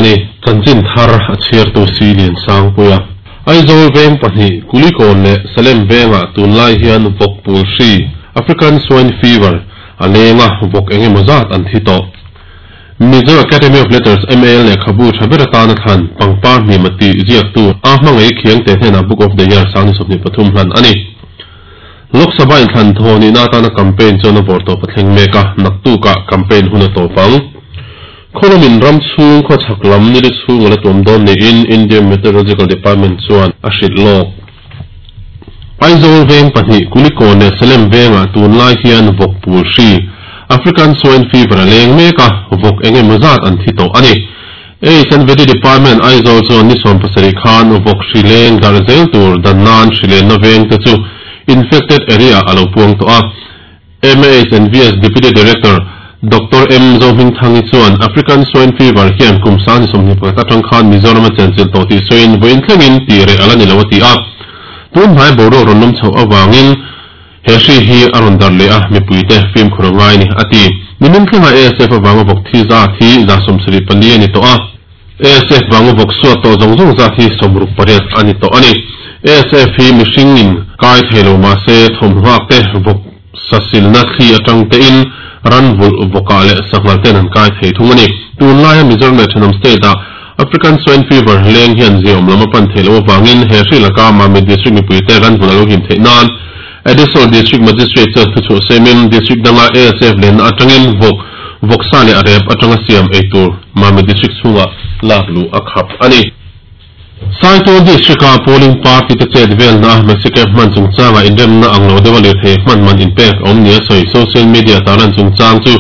ni. Chanchin thar a chhiartu si Liansangpuia. Aizawl veng pahnih, Kulikawn leh Salem vengah tunlai hian vawk pul hri, African Swine Fever, a leng a, vawk eng emaw zat an thi tawh. Mizo Academy of Letters, MAL, lehkhabu tha ber atana thlan, pangpar hnima tih ziaktu A Hmangaih Khiangte hnenah Book of the Year 2023 hlan a ni. Lok Sabha inthlan thaw nihna atana campaign chuan a vawr tawp a thleng mek a, naktukah campaign hun a tawp ang. Khawlamin ram chhung khaw chhak lam nili chhung a la tuam dawn niin Indian Meteorological Department chuan a hrilh lawk. Aizawl veng pahnih Kulikawn leh Salem vengah tunlai hian vawk pul hri, African Swine Fever, a leng mek a, vawk eng emaw zat an thi tawh a ni. HNVD Department Aizawl chuan ni 17 khan vawk hri leng darh zel tur dan nan hri lenna veng te chu infected area a lo puang tawh a. MAHNVS Deputy Director Doctor M Zohmingthangi chuan African Swine Fever hian kum 2021 atang khan Mizoram a chenchilh tawh tih sawiin vawiin thlengin tih reh a la ni lo a ti a. Tun hnai boruak rawn lum chhoh avangin he hri hi a rawn darh leh a, mipuite fimkhur a ngai ni a ti. Nimin thlenga ASF avanga vawk thi zat hi 74 a ni tawh a. ASF vanga vawk suat tawh zawng zawng zat hi 68 a ni tawh a ni. ASF hi mihringin kai thei lo mahse thawmhnuak te vawk sasilna thli atang tein ran vulh vawkah leh sanghal ten an kai thei thung a ni. Tunlaia Mizoram leh thenawm state ah African Swine Fever leng hian ziaawm lam a pan theih loh avangin he hri laka Mamit District mipuite ran vulh a lo him theih nan Additional District Magistrate chuan thuchhuah semin District danga ASF lenna atangin vawk, vawksa leh a rep atanga siam ei tur Mamit District chhungah lak luh a khap a ni. Saitual District-a polling party te chet velna Maxicab hman chungchanga inremna ang lo deuha lirthei hman man inpek a awm nia sawi social media tarlan chungchang chu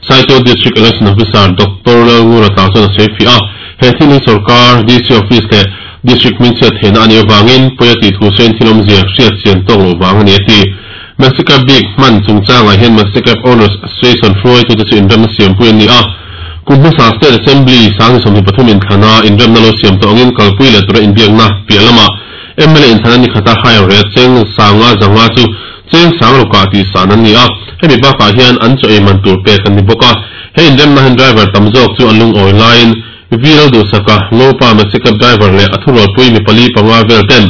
Saitual District Election Officer Doctor Lalngura Tlau chuan a sawi fiah a. He thil hi sorkar, DC Office leh District hmingchhiat theihna a nih avangin pawi a tih thu sawiin thil awmzia hriat chian tawk loh vang a ni a ti. Maxicab bik hman chungchangah hian Maxicab Owners Association hruaitute chu inremna siampui an ni a. Kum hmasa State Assembly 2023 inthlana inremna lo siam tawh angin kalpui leh tura inbiakna piah lamah mla inthlana ni khata hire rate cheng sanga zanga chu cheng sang rukah tih san an ni a. Hemi bakah hian an chaw ei man tur pek an ni bawk a. He inremna hian driver tam zawk chu an lungawi laiin Viral duhsaka Ngopa Maxicab driver leh a thurualpui mi pali panga vel ten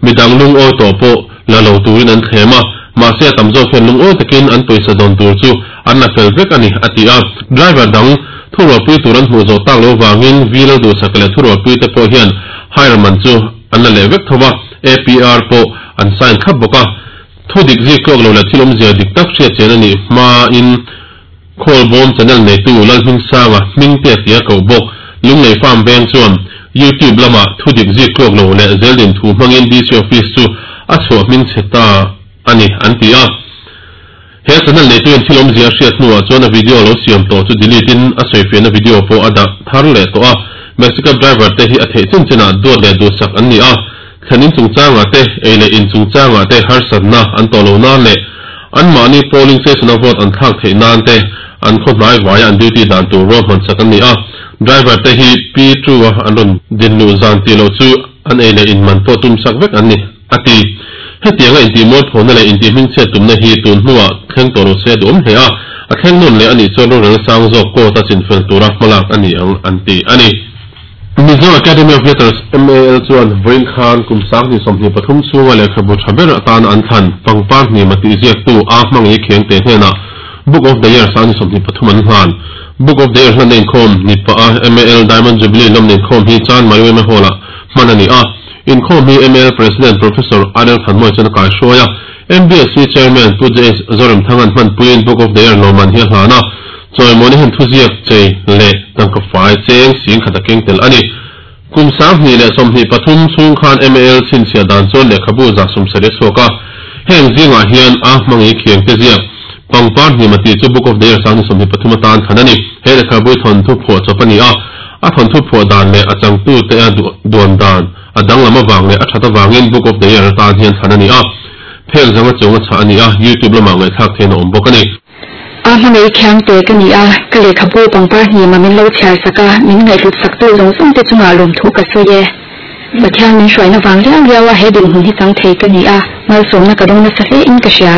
midang lungawi tawh pawh la lo turin an thlem a, mahse a tam zawk hian lungawi takin an pawisa dawn tur chu an la fel vek a ni, a ti a. Driver dang thurualpui tur an hmuh zawh tak lo vangin Viral duhsaka leh thurualpui te pawh hian hire man chu an la leh vek tho va, APR pawh an sign thlap bawk a. Thu dik zik tluak lo leh thil awmzia dik tak hriat chian a nih hmain, Khawlbawm channel neitu Lalhmingsanga hming te tia koh bawk Lunglei Farm veng chuan YouTube lamah thu dik zik tluak lo leh zeldin thu hmangin DC Office chu a chhuah hming chhe ta a ni an ti a. He channel neitu in thil awmzia a hriat hnuah chuan a video lo siam tawh chu delete in a sawifiahna video pawh a dah thar leh tawh a. Maxicab driver te hi a theih chin chinah duat leh duhsak an ni a. Thlen in chungchangah te, ei leh in chungchangah te harsatna an tawh lo nan leh anmahni polling station-a vote an thlak theih nan te an khaw hnai vaia an duty dan tur ruahman sak an ni a. Driver te hi Pi True-a an rawn din luh zan tih loh chu an ei leh in man pawh tum sak vek an ni, a ti. Hetianga intihmualphawhna leh intihhmingchhiat tumna hi tun hnuah thleng tawh lo se a duhawm hle a, a thleng nawn leh a nih chuan rorel sang zawk court-a chinfel tura hmalak a ni ang an ti a ni. Mizo Academy of Letters, MAL, chuan vawiin khan kum 2023 chhunga lehkhabu tha ber atana an thlan pangpar hnima tih ziaktu A Hmangaih Khiangte hnenah Book of the Year 2023 an hlan. Book of the Year hlanna inkhawm ni pah a MAL Diamond Jubilee lawmna inkhawm hi Chanmari yma Hall-ah hman a ni a. Inkhawm hi MAL President Professor RL Thanmawia chuan a kaihruai a. MBSC Chairman Pu JS Zoremthanga'n hmanpuiin Book of the Year lawmman hi a hlan a. Chawimawna hian thuziak chei leh tangka fai cheng sing khat a keng tel a ni. Kum 2023 chhung khan MAL chhinchhiah dan chuan lehkhabu 70 a chhuak a. Heng zingah hian a hmangaih khiang te ziak pangpar hnima tih chu Book of the Year 2023 atan thlan a ni. He lehkhabu hi thawnthu phuah chawp a ni a, a thawnthu phuah dan leh a changtu te a duan dan a danglam avang leh a that avangin Book of the Year atan hian thlan a ni a. Phek zanga chung a chhah a ni a, YouTube lamah ngaihthlak theihna a awm bawk a ni. A hmangaih khiangte ka ni a, ka lehkhabu pangpar hnima min lo chhiar sak a, min ngaihhlut saktu zawng zawng te chungah lawmthu ka sawi e. Pathian min hruaina vang riau riau a he dinhmun hi chang thei ka ni a, malsawmna ka dawng nasa hle in ka hria.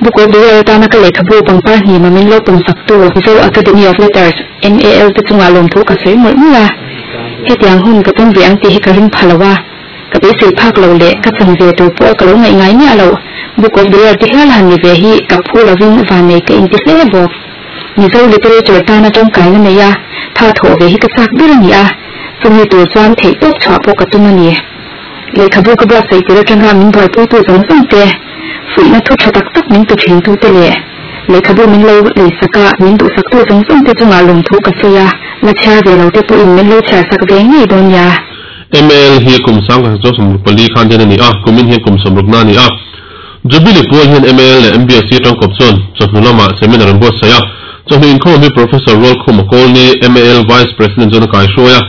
Book of the Year atana ka lehkhabu Pangparhnima min lo pawmsaktu Mizo Academy of Letters, MAL, te chungah lawmthu ka sawi mawlh mawlh a. Hetiang hun ka tum ve ang tih hi ka ring pha lo a, ka beisei phak lo leh ka chan ve tur pawh ka lo ngaih ngai miah loh. Book of the Year te hial han ni ve hi ka phu lovin vannei ka inti hle bawk. Mizo literature tana tangkaina nei a, tha thawh ve hi ka chak ber a ni a, chumi tur chuan theihtawp chhuah pawh ka tum a ni. Lehkhabu ka buatsaih tir atanga min buaipuitu zawng zawng te, fuihna thu tha tak tak min pe thintute leh lehkhabu min lo leisak a, min duhsaktu zawng zawng te chungah lawmthu ka sawi a, la chhiar ve lo te pawhin min lo chhiarsak ve ngei dawn nia. ML hi kum 1964 khan den a ni a, kumin hian kum sawmrukna a ni a. Jubilee pual hian ML leh MBSC tangkawp chuan chawhnu lamah seminar an buatsaih a. Chawhnu inkhawm hi Professor Rualkhuma Kawlni, MAL Vice President chuan a kaihruai a.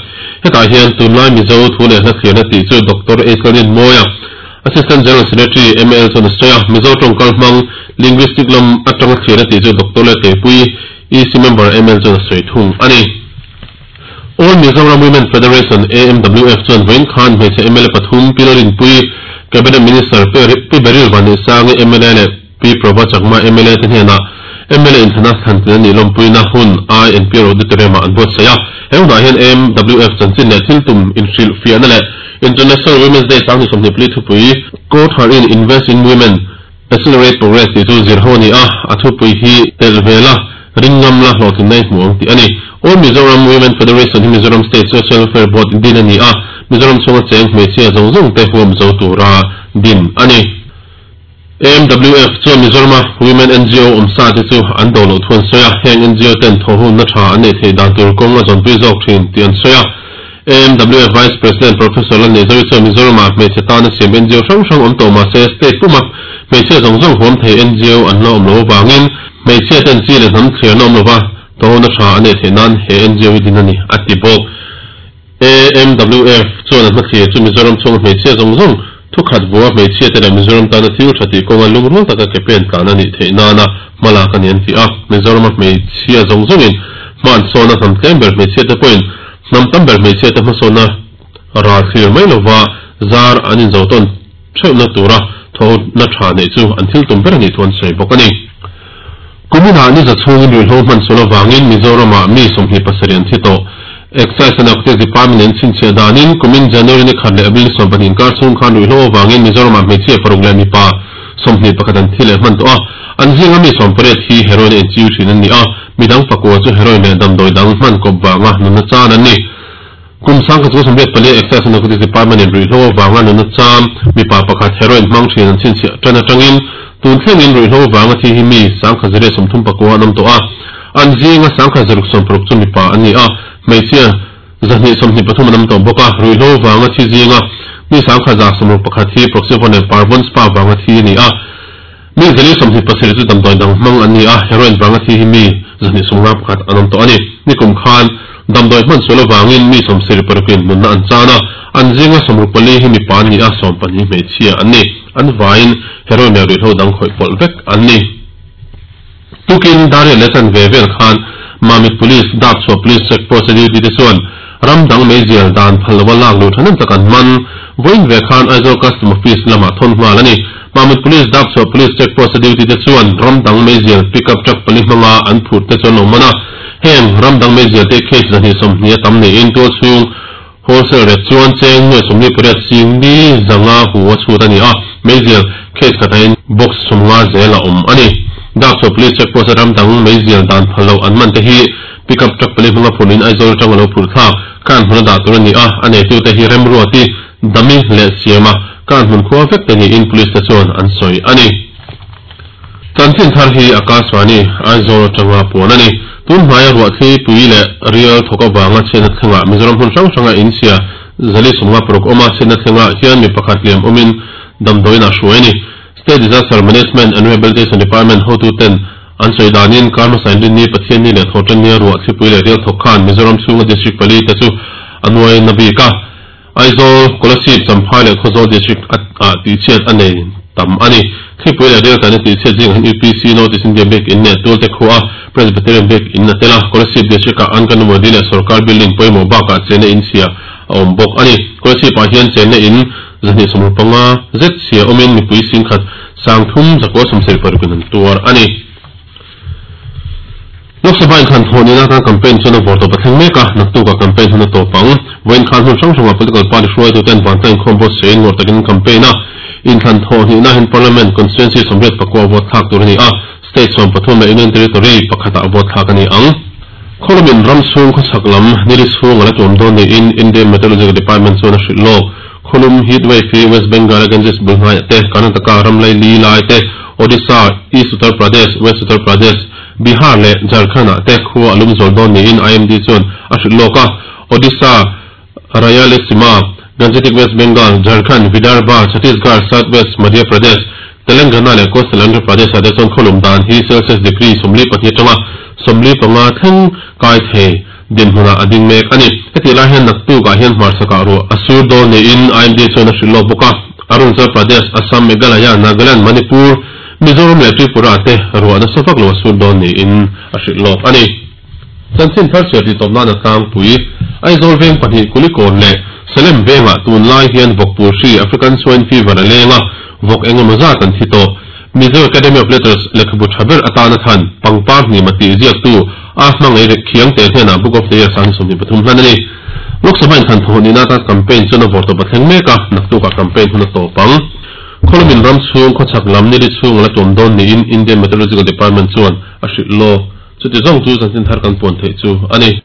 Hetah hian tunlai Mizo thu leh hla thliarna tih chu Doctor Aislinn Mawia, Assistant General Secretary, MAL chuan a sawi a. Mizo tawngkal hmang, Linguistic lam atanga thliarna tih chu Doctor Letepuii, EC Member, ML chuan a sawi thung a ni. All Mizoram Women Federation, AMWF, chuan vawiin khan hmeichhe mla pathum, Pi Lalrinpuii, Cabinet Minister Pi Beryl Vanneihsangi mla leh Pi Prabha Chakma mla te hnenah mla inthlana thlantlin a nih lawmpuina hun INPR Auditorium-ah an buatsaih a. He hunah hian AMWF chanchin leh thil tum inhrilhfiahna leh International Women's Day 2024 thupui, Court Her In, Invest in Women, Accelerate Progress tih chu zir ho a ni a, a thupui hi telh ve la, ring ngam la, hlawhtlinna i hmu ang tih a ni. All Mizoram Women Federation hi Mizoram State Social Welfare Board din a ni a, Mizoram chhunga cheng hmeichhia zawng zawng te huam zo tura din a ni. AMWF chuan Mizorama Women NGO awm sa te chu an do loh thu an sawi a, heng NGO ten thawhhunna tha an neih theih dan tur kawng a zawnpui zawk thin tih an sawi a. AMWF Vice President Professor Lalneizawi chuan Mizoramah hmeichhe tana siam NGO hrang hrang awm tawh mahse state puma hmeichhia zawng zawng huam thei NGO an la awm loh avangin hmeichhia ten chi leh hnam thliarna awm lova tawhna tha an neih theih nan he NGO hi din a ni, a ti bawk. AMWF chuan a hmathlir chu Mizoram chhunga hmeichhia zawng zawng thukhat vua hmeichhia te leh Mizoram tana thil tha tih kawnga lungrual taka ke pen tlan a nih theih nana hmalak a ni an ti a. Mizorama hmeichhia zawng zawngin hma an sawn a, hnam tlem ber hmeichhia te pawhin Hnam tam ber hmeichhia te hmasawnna ral thlir mai lova zar an inzo tawn theuhna tura thawhna tha neih chu an thil tum ber a nih thu an sawi bawk a ni. Kuminah ni za chhungin ruihhlo hman sual avangin Mizoramah mi 27 an thi tawh. Excise and Narcotics Department in chhinchhiah danin kumin January ni khat leh April ni 12 inkar chhung khan ruihhlo avangin Mizoramah hmeichhia paruk leh mipa 21 an thi leh hman tawh a. An zinga mi 18 hi heroin a inchiu thin an ni a. Midang pakua chu heroin leh damdawi dang hman kawp vanga nunna chan an ni. Kum 1984 Excise and Narcotics Department in ruihhlo avanga nunna cham mipa pakhat heroin hmang thin an chhinchhiah tan atangin tun thlengin ruihhlo avanga thi hi mi 1039 an awm tawh a. An zinga 1066 chu mipa an ni a, hmeichhia 223 an awm tawh bawk a. Ruihhlo avanga thi zinga mi 1161 hi Proxyvon leh Parvon Spa vanga thi a ni a. Mi 427 chu damdawi dang hmang an ni a, heroin vanga thi hi mi 251 an awm tawh a ni. Nikum khan damdawi hman sual avangin mi 76 in nunna an chan a, an zinga 64 hi mipa an ni a, 12 hmeichhia an ni. An vaiin heroin leh ruihhlo dang khawih pawlh vek an ni. Tukin Dariah leh chanve vel khan Mamit Police, Dapchhuah Police Check Post a duty te chuan ram dang meizial dan phal lova lak luh thahnem tak an man. Vawiin ve khan Aizawl Custom Office lamah thawn nghal a ni. Mamit Police, Dapchhuah Police Check Post a duty te chuan ram dang meizial pick up truck pali hmanga an phurh te chu an lo man a. Heng ram dang meizial te case 220 a tam niin tualchhung wholesale rate chuan cheng nuai 48 sing li zanga hu a chhut a ni a, meizial case khatah in box 50 zel a awm a ni. Dapchhuah Police Check Post a ram dang meizial dan phal loh an man te hi pick up truck pali hmanga phurhin Aizawl atang a lo phurh thlak khan hmun a dah tur a ni a, a neitute hi remruati Dami leh Siama khan hmun khua vek te niin Police te chuan an sawi a ni. Chanchin thar hi Akashvani, Aizawl atanga puan a ni. Tun hmaia ruahthli pui leh rial thawk avanga chhiatna thlengah Mizoram hmun hrang hranga inchhia zali 56 awma chhiatna thlengah hian mi pakhat liam awmin damdawiin a hruai a ni. State Disaster Management and Rehabilitation Department hotuten an sawi danin kar hmasa inrinni Pathianni leh Thawhtannia ruahthli pui leh rial thawk khan Mizoram chhunga District pali te chu a nuai na bik a. Aizawl, Kolasib, Champhai leh Khawzawl District ah tihchhiat a nei. tam a ni. Thlipui leh rel tlan a tihchhiat zingah hian UPC North East India Biak In leh Tualte khua Presbyterian Biak In a tel a, Kolasib District-ah Anganwadi leh Sorkar building pawimawh bakah chenna in chhia a awm bawk a ni. Kolasib-ah hian chenna in 225 zet chhia awmin mipui singkhat 3000 976 in an tuar a ni. Lok Sabha inthlan thawh nihna atan campaign chuan a vawr tawp a thleng mek a, naktukah campaign hun a tawp ang. Vawiin khan hmun hrang hrangah political party hruaituten vantlang inkhawm pawh sawiin ngawrh takin an campaign a. Inthlan thawh nihna hian Parliament constituency 84 a vote thlak tur a ni a, state 13 leh Union Territory pakhatah vote thlak a ni ang. Khawlamin ram chhung khawchhak lam nili chhung a la tuam dawn niin Indian Meteorological Department chuan a hrilh lawk. Khawlum heat wave hi West Bengal a Ganges bul hnaiah te, Karnataka ram laili lai te, Odisha, East Uttar Pradesh, West Uttar Pradesh, Bihar leh Jharkhand-ah te khua a lum zual dawn niin IMD chuan a hrilh lawk a. Odisha, Rayalaseema, Gangetic West Bengal, Jharkhand, Vidarbha, Chhattisgarh, South West Madhya Pradesh, Telangana leh Coastal Andhra Pradesh-ah te chuan khawlum dan hi Celsius degree 42 atanga 45 thleng kai thei dinhmunah a ding mek a ni. Hetih lai hian naktukah hian hmarsakah ruah a sur dawn niin IMD chuan a hrilh lawk bawk a. Arunachal Pradesh, Assam, Meghalaya, Nagaland, Manipur, Mizoram leh Tripura te ruah nasa vak lo a sur dawn niin a hrilh lawk a ni. Chanchin thar chhiar tih tawp nan a tlangpui. Aizawl veng pahnih Kulikawn leh Salem vengah tunlai hian vawkpul hri African Swine Fever a leng a, vawk eng emaw zat an thi tawh. Mizo Academy of Letters lehkhabu tha ber atana than pangpar hnima tih ziaktu a hmangaih rek Khiangte hnenah Book of the Year 2023 hlan a ni. Lok Sabha inthlan thawh nihna atan campaign chuan a vawr tawp a thleng mek a, naktukah campaign hun a tawp ang. Khawlamin ram chhung khawchhak lam nili chhung a la tuam dawn niin Indian Meteorological Department chuan a hrilh lawk. Chuti zawng chu chanchin thar kan puan theih chu a ni.